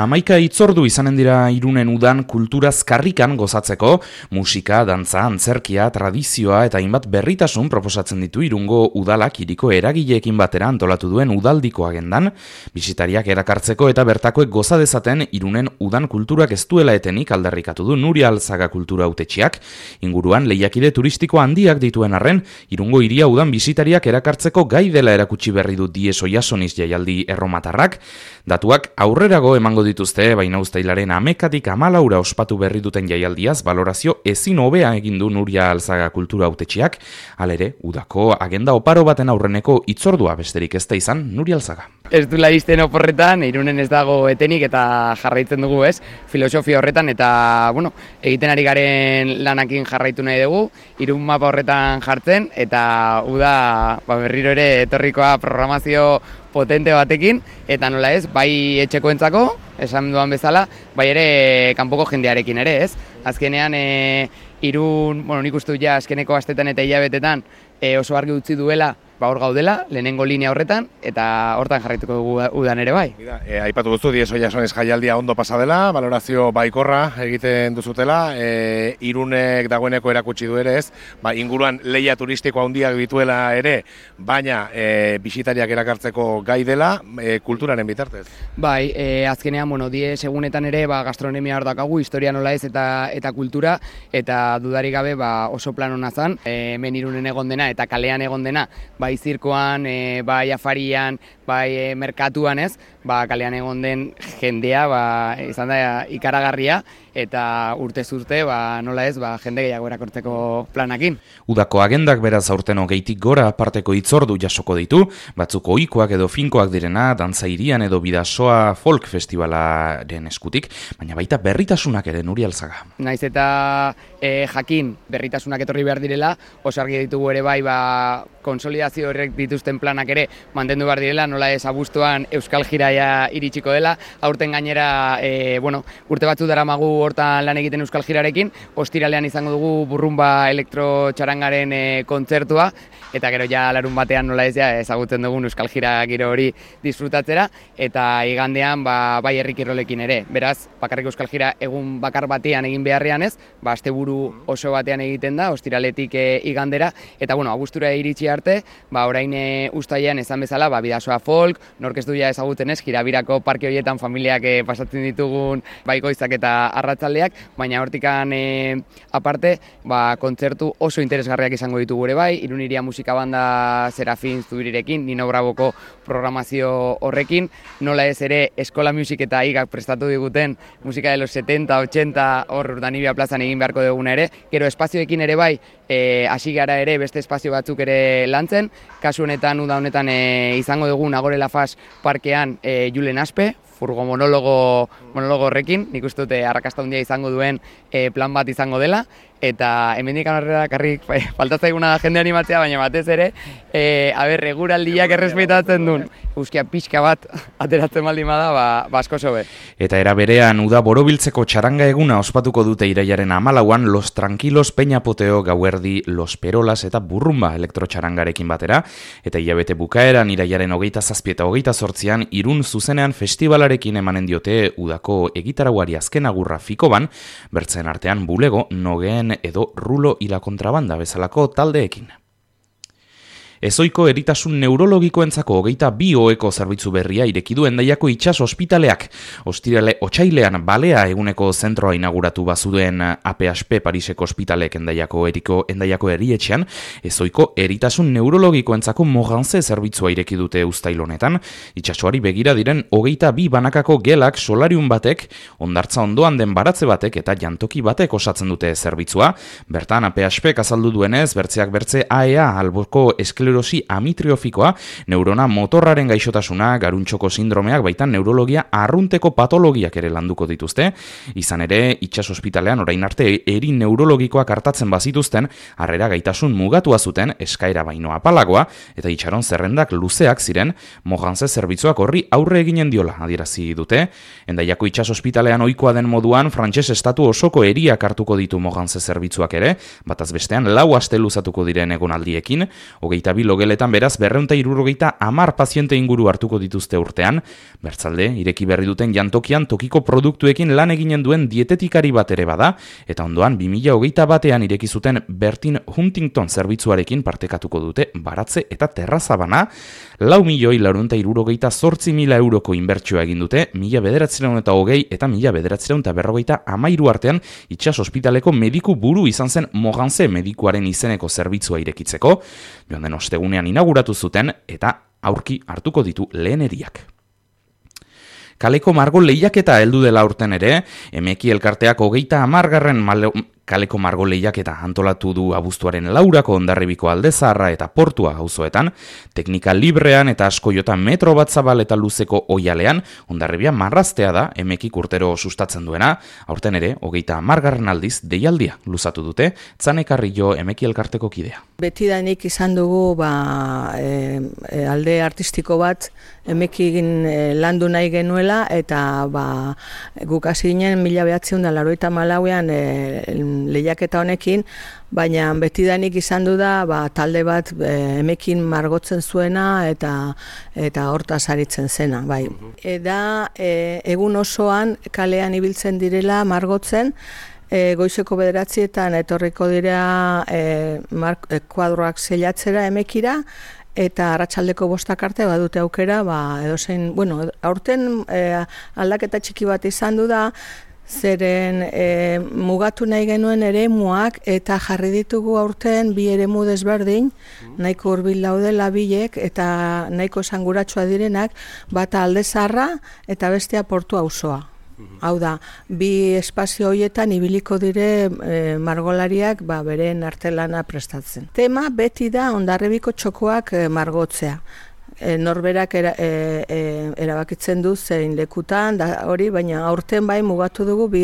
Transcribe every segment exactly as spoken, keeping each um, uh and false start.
Hamaika hitzordu izanen dira Irunen udan kulturaz karrikan gozatzeko, musika, dantza, antzerkia, tradizioa eta hainbat berritasun proposatzen ditu Irungo udalak hiriko eragileekin batera antolatu duen udaldiko agendan, bisitariak erakartzeko eta bertakoek goza dezaten Irunen udan kulturak ez duela etenik aldarrikatu du Nuria Alzaga kultura hautetsiak, inguruan lehiakide turistiko handiak dituen arren, Irungo hiria udan bisitariak erakartzeko gai dela erakutsi berri du Dies Oiasoniz jaialdi erromatarrak, datuak aurrerago emango dituzte, baina uztailaren hamekatik hamalaura ospatu berri duten jaialdiaz valorazio ezin hobea egin du Nuria Alzaga kultura hautetsiak, halere, udako agenda oparo baten aurreneko hitzordua besterik ez da izan Nuria Alzaga. Ez du laizten oporretan, Irunen ez dago etenik eta jarraitzen dugu ez, filosofia horretan eta, bueno, egiten ari garen lanakin jarraitu nahi dugu, Irun mapa horretan jartzen eta uda ba, berriro ere etorrikoa programazio potente batekin, eta nola ez, bai etxekoentzako, esan duan bezala, bai ere kanpoko jendearekin ere ez. Azkenean, e, Irun, bueno, nik uste ja azkeneko astetan eta hilabetetan e, oso argi utzi duela, ba hor gaudela, lehenengo linea horretan, eta hortan jarraituko dugu udan ere bai. E, aipatu duzu, Dies Oiasoniz jaialdia ondo pasa dela, valorazio baikorra egiten duzutela, e, Irunek dagoeneko erakutsi du ere ez, ba, inguruan lehia turistiko handiak dituela ere, baina e, bisitariak erakartzeko gai dela, e, kulturaren bitartez. Bai, e, azkenean, bueno, Dies egunetan ere, ba, gastronomia hor dakagu, historia nola ez eta eta kultura, eta dudarik gabe ba, oso plan hona zan, e, hemen Irunen egon dena eta kalean egon dena, bai zirkoan, e, bai afarian, bai e, merkatuan ez, ba, kalean egon den jendea ba, izan da ikaragarria eta urtez urte ba, nola ez ba, jende gehiago erakortzeko planakin. Udako agendak beraz aurten hogeitik gora aparteko hitzordu jasoko ditu, batzuk ohikoak edo finkoak direna, dantza hirian edo bidasoa folk festivalaren eskutik, baina baita berritasunak ere Nuria Alzaga. Naiz eta e, jakin berritasunak etorri behar direla, oso argi ditugu ere bai ba, konsolidazio horrek dituzten planak ere mantendu behar direla, nola ez abuztuan Euskal Jiraia iritsiko dela, aurten gainera e, bueno, urte batzu daramagu hortan lan egiten Euskal Jirarekin, ostiralean izango dugu burrumba elektrotxarangaren e, kontzertua, eta gero ja larun batean nola ez ja ezagutzen dugun Euskal Jira giro hori disfrutatzera, eta igandean ba, bai herrikirrolekin ere. Beraz, bakarrik Euskal Jira egun bakar batean egin beharrean ez, ba, asteburu oso batean egiten da, ostiraletik e, igandera, eta bueno, abuztura iritsi arte, ba, orain e, uztailean esan bezala, ba, bidasoa folk, nork ez du ja ezagutzen ez, Jirabirako parke horietan familiak e, pasatzen ditugun baikoizak eta arratsaldeak, baina hortikan e, aparte, ba, kontzertu oso interesgarriak izango ditugu ere bai, Irun Hiria musika banda Serafin Zubirirekin, Nino Braboko programazio horrekin, nola ez ere Eskola Music eta Igak prestatu diguten musika de los setenta, ochenta, hor Urdanibia plazan egin beharko duguna ere, gero espazioekin ere bai, e, hasi gara ere beste espazio batzuk ere lantzen, kasu honetan, uda honetan e, izango dugu Nagore Lafaz parkean e, Julen Aspe, furgo monologo, monologo horrekin, nik uste dute arrakasta handia izango duen e, plan bat izango dela, eta hemendik aurrera karrik faltatzaiguna da jende animatzea, baina batez ere, e, aber, eguraldiak errespetatzen duen, euskia pixka bat ateratzen baldin bada, ba, basko sobe. Eta era berean, uda borobiltzeko txaranga eguna ospatuko dute iraiaren hamalauan Los Tranquilos Peñapoteo gauerdi Los Perolas eta burrumba elektrotxarangarekin batera, eta hilabete bukaeran iraiaren hogeita zazpi eta hogeita zortzian Irun zuzenean festivalarekin emanen diote udako egitarauari azken agurra fikoban, bertzen artean bulego, nogeen edo rulo y la kontrabanda bezalako taldeekin. Ezoiko eritasun neurologikoentzako hogeita bi oheko zerbitzu berria ireki du Hendaiako itsas ospitaleak. Ostirale otsailean balea eguneko zentroa inauguratu bazuen A P H P Pariseko ospitalek Hendaiako eriko Hendaiako erietxean, ezoiko eritasun neurologikoentzako Moranze zerbitzua ireki dute uztail honetan, itsasoari begira diren hogeita bi banakako gelak solarium batek, hondartza ondoan den baratze batek eta jantoki batek osatzen dute zerbitzua. Bertan A P H Pek azaldu duenez, bertzeak bertze A E A alboko esklerosi amitriofikoa, neurona motorraren gaixotasuna, garuntxoko sindromeak, baitan neurologia arrunteko patologiak ere landuko dituzte. Izan ere, itsas ospitalean orain arte eri neurologikoak hartatzen bazituzten, harrera gaitasun mugatua zuten, eskaera baino apalagoa, eta itxaron zerrendak luzeak ziren, Moranze zerbitzuak horri aurre eginen diola adierazi dute. Hendaiako itsas ospitalean ohikoa den moduan, frantses estatu osoko eriak hartuko ditu Moranze zerbitzuak ere, bataz bestean lau aste luzatuko diren egonaldiekin, hogeita bi logeletan beraz berrehun eta hirurogeita hamar paziente inguru hartuko dituzte urtean, bertzalde, ireki berri duten jantokian tokiko produktuekin lan eginen duen dietetikari bat ere bada, eta ondoan bi mila hogeita batean ireki zuten Bertin Huntington zerbitzuarekin partekatuko dute baratze eta terrazabana, lau milioi laurehun eta hirurogeita zortzi mila euroko inbertsioa egin dute, mila bederatziehun eta hogei eta mila bederatziehun eta berrogeita hamairu artean itsas ospitaleko mediku buru izan zen Moganze medikuaren izeneko zerbitzua irekitzeko, joan den ostegunean inauguratu zuten eta aurki hartuko ditu lehen eriak. Kaleko margo lehiaketa heldu dela urten ere, Emeki elkarteak hogeita hamargarren malo... Kaleko margo lehiaketa antolatu du abuztuaren laurako Hondarribiko Alde Zaharra eta Portua auzoetan, teknika librean eta askoiota metro bat zabal eta luzeko oialean, Hondarribia marraztea da Emekik urtero sustatzen duena, aurten ere, hogeita hamargarren aldiz deialdia luzatu dute, Tzanekarrillo Emeki elkarteko kidea. Betidanik izan dugu ba, e, e, alde artistiko bat Emekin e, landu nahi genuela, eta ba, guk hasi ginen mila behatziehun eta laurogeita hamalauean e, lehiaketa honekin, baina betidanik izan du da ba, talde bat e, Emekin margotzen zuena eta eta hortaz aritzen zena. Bai. Eda e, egun osoan kalean ibiltzen direla margotzen, e, goizeko bederatzietan etorriko dira e, mark, e, kuadroak zeilatzera Emekira, eta arratsaldeko bostak arte badute aukera, ba, edozein, bueno, aurten e, aldaketa txiki bat izan du da, zeren e, mugatu nahi genuen eremuak eta jarri ditugu aurten bi eremu desberdin, nahiko hurbil daudela bilek eta nahiko esanguratsua direnak, bata Alde Zaharra eta bestea Portu auzoa. Hau da, bi espazio horietan ibiliko dire e, margolariak ba, beren artelana prestatzen. Tema beti da Hondarribiko txokoak e, margotzea. E, norberak era, e, e, erabakitzen du zein lekutan, da hori, baina aurten bai mugatu dugu bi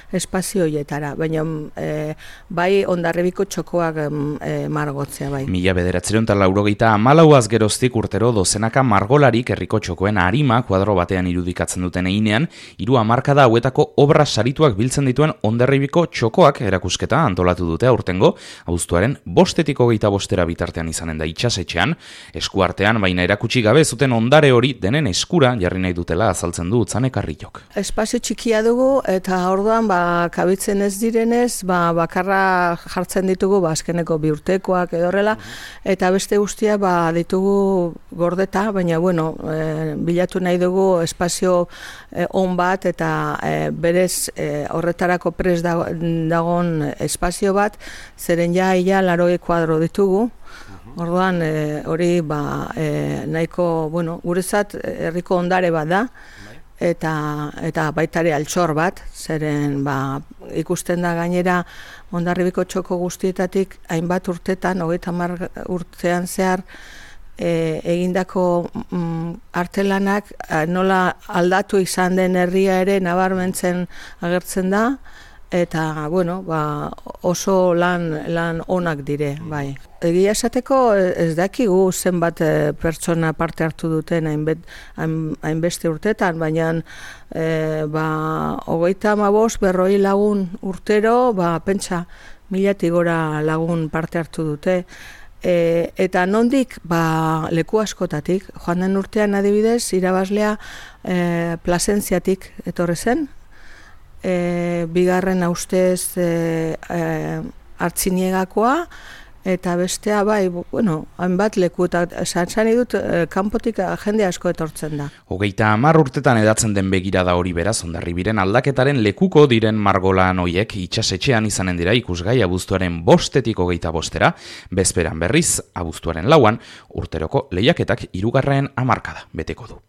espazio horietara, baina e, bai Hondarribiko txokoak e, margotzea bai. Mila bederatziehun eta laurogeita hamalauaz geroztik urtero dozenaka margolarik herriko txokoen arima kuadro batean irudikatzen duten einean, hiru hamarkada hauetako obra sarituak biltzen dituen Hondarribiko txokoak erakusketa antolatu dute aurtengo, abuztuaren bostetik hogeita bostera bitartean izanen da itsasetxean, eskuartean baina erakutsi Kutsi gabe zuten ondare hori denen eskura jarri nahi dutela azaltzen du Tzanekarrillok. Espazio txikia dugu eta orduan ba, kabitzen ez direnez, ba, bakarra jartzen ditugu ba, azkeneko bi urtekoak edo horrela, eta beste guztia ba, ditugu gordeta, baina bueno, e, bilatu nahi dugu espazio e, on bat eta e, berez e, horretarako pres dagon espazio bat, zeren ja ia laroge kuadro ditugu. Orduan hori e, ba, e, nahiko, bueno, guretzat herriko ondare bat da, eta, eta baitare altxor bat, zeren ba, ikusten da gainera Hondarribiko txoko guztietatik hainbat urtetan, hogeita hamar urtean zehar, e, egindako mm, artelanak nola aldatu izan den herria ere nabarmentzen agertzen da, eta bueno, ba, oso lan, lan onak dire, bai. Egia esateko ez dakigu zenbat pertsona parte hartu duten hainbet, hainbeste urtetan, baina e, ba, hogeita hamabost berroi lagun urtero, ba, pentsa milatik gora lagun parte hartu dute. E, eta nondik ba, leku askotatik, joan den urtean adibidez, irabazlea e, Plasentziatik etorri zen, e, bigarren ustez e, e, Artziniagakoa, eta bestea bai, bueno, hainbat leku, eta esan dut, e, kanpotik jende asko etortzen da. Hogeita hamar urtetan edatzen den begirada hori beraz, Hondarribiren aldaketaren lekuko diren margolan hoiek itsasetxean izanen dira ikusgai abuztuaren bostetik hogeita bostera, bezperan berriz, abuztuaren lauan, urteroko lehiaketak hirugarren hamarkada beteko du.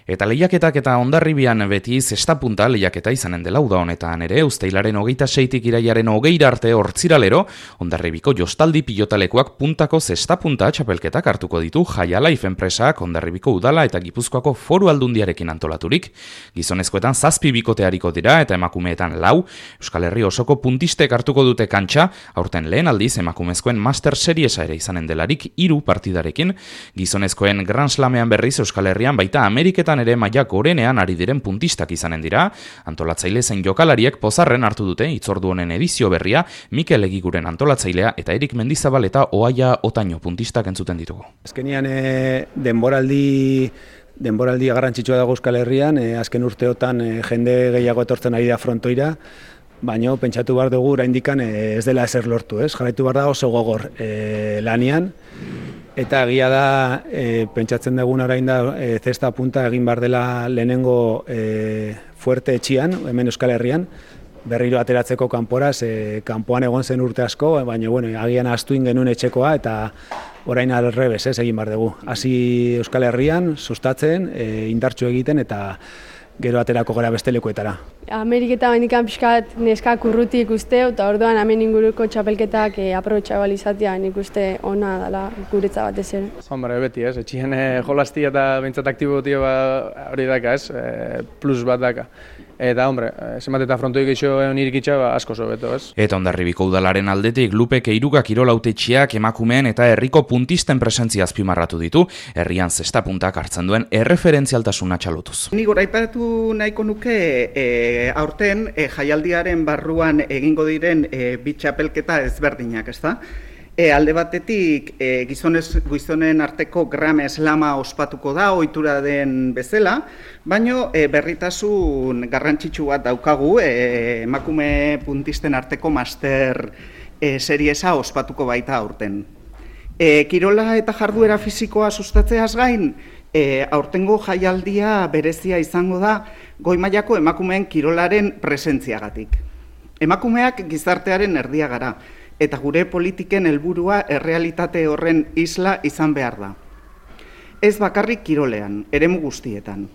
Eta lehiaketak eta Hondarribian beti zestapunta lehiaketa izanen dela uda honetan ere, uztailaren hogeita seitik iraiaren hogeira arte hortziralero, Hondarribiko jostaldi pilotalekuak puntako zestapunta txapelketak hartuko ditu Jaya Life enpresak Hondarribiko udala eta Gipuzkoako foru aldundiarekin antolaturik. Gizonezkoetan zazpi bikoteariko dira eta emakumeetan lau, Euskal Herri osoko puntistek hartuko dute kantxa, aurten lehen aldiz emakumezkoen Master Seriesa ere izanen delarik hiru partidarekin, gizonezkoen Grand Slamean berriz Euskal Herrian baita Ameriketan askotan ere maila gorenean ari diren puntistak izanen dira. Antolatzaile zein jokalariek pozarren hartu dute hitzordu honen edizio berria, Mikel Egiguren antolatzailea eta Erik Mendizabal eta Oaia Otaño puntistak entzuten ditugu. Azkenian e, denboraldi denboraldi garrantzitsua dago Euskal Herrian, e, azken urteotan e, jende gehiago etortzen ari da frontoira, baina pentsatu behar dugu oraindikan e, ez dela ezer lortu, ez? Jarraitu behar da oso gogor e, lanian, eta egia da e, pentsatzen dugun orain da e, zesta punta egin behar dela lehenengo e, fuerte etxian, hemen Euskal Herrian, berriro ateratzeko kanporaz, e, kanpoan egon zen urte asko, baina bueno, agian ahaztuin genuen etxekoa, eta orain alrebez, ez, egin behar dugu. Hasi Euskal Herrian, sustatzen, e, indartsu egiten, eta gero aterako gara beste lekuetara. Ameriketa bandikan pixkat neskak urruti ikuste, eta orduan hemen inguruko txapelketak e, aprobetxabal izatea nik uste ona dela guretza batez ere. Hombre, beti ez, etxien e, jolastia eta bintzat aktibotia ba, hori daka ez, e, plus bat daka. Eta, hombre, zenbat eta frontoik eixo nirik itxa, ba, asko sobeto, ez? Eta Hondarribiko udalaren aldetik Lupe Keiruga kirolautetxiak emakumeen eta herriko puntisten presentzia azpimarratu ditu, herrian zesta puntak hartzen duen erreferentzialtasuna txalotuz. Ni goraipatu nahiko nuke e, aurten e, jaialdiaren barruan egingo diren e, bi txapelketa ezberdinak, ezta? E, alde batetik e, gizonez, gizonen arteko grame eslama ospatuko da, ohitura den bezala, baino e, berritasun garrantzitsu bat daukagu, e, emakume puntisten arteko master e, seriesa ospatuko baita aurten. E, kirola eta jarduera fisikoa sustatzeaz gain, e, aurtengo jaialdia berezia izango da goi mailako emakumeen kirolaren presentziagatik. Emakumeak gizartearen erdia gara, eta gure politiken helburua errealitate horren isla izan behar da. Ez bakarrik kirolean, eremu guztietan.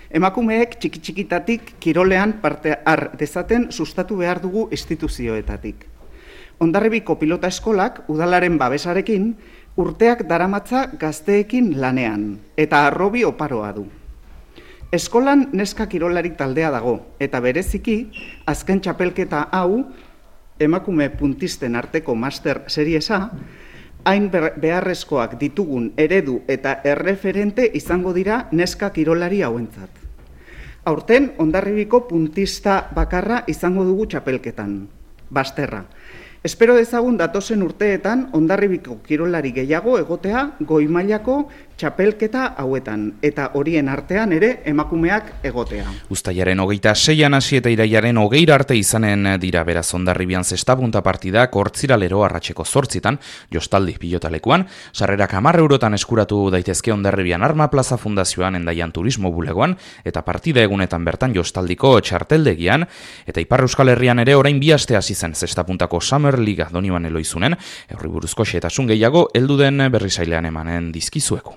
Emakumeek txiki-txikitatik kirolean parte har dezaten sustatu behar dugu instituzioetatik. Hondarribiko pilota eskolak udalaren babesarekin urteak daramatza gazteekin lanean, eta arrobi oparoa du. Eskolan neska kirolari taldea dago, eta bereziki azken txapelketa hau emakume puntisten arteko master seriesa, hain beharrezkoak ditugun eredu eta erreferente izango dira neska kirolari hauentzat. Aurten, Hondarribiko puntista bakarra izango dugu txapelketan, Basterra. Espero dezagun datozen urteetan Hondarribiko kirolari gehiago egotea goi mailako txapelketa hauetan, eta horien artean ere emakumeak egotea. Uztailaren hogeita seian hasi eta iraiaren hogeira arte izanen dira beraz Hondarribian zestapunta partidak hortziralero arratseko zortzitan, jostaldi pilotalekuan, sarrerak hamar eurotan eskuratu daitezke Hondarribian Arma Plaza Fundazioan Endaian Turismo Bulegoan, eta partida egunetan bertan jostaldiko txarteldegian, eta Ipar Euskal Herrian ere orain bi aste hasi zen zestapuntako Summer Liga Doniban Eloizunen, eurri buruzko xehetasun gehiago heldu den berrizailean emanen dizkizueko.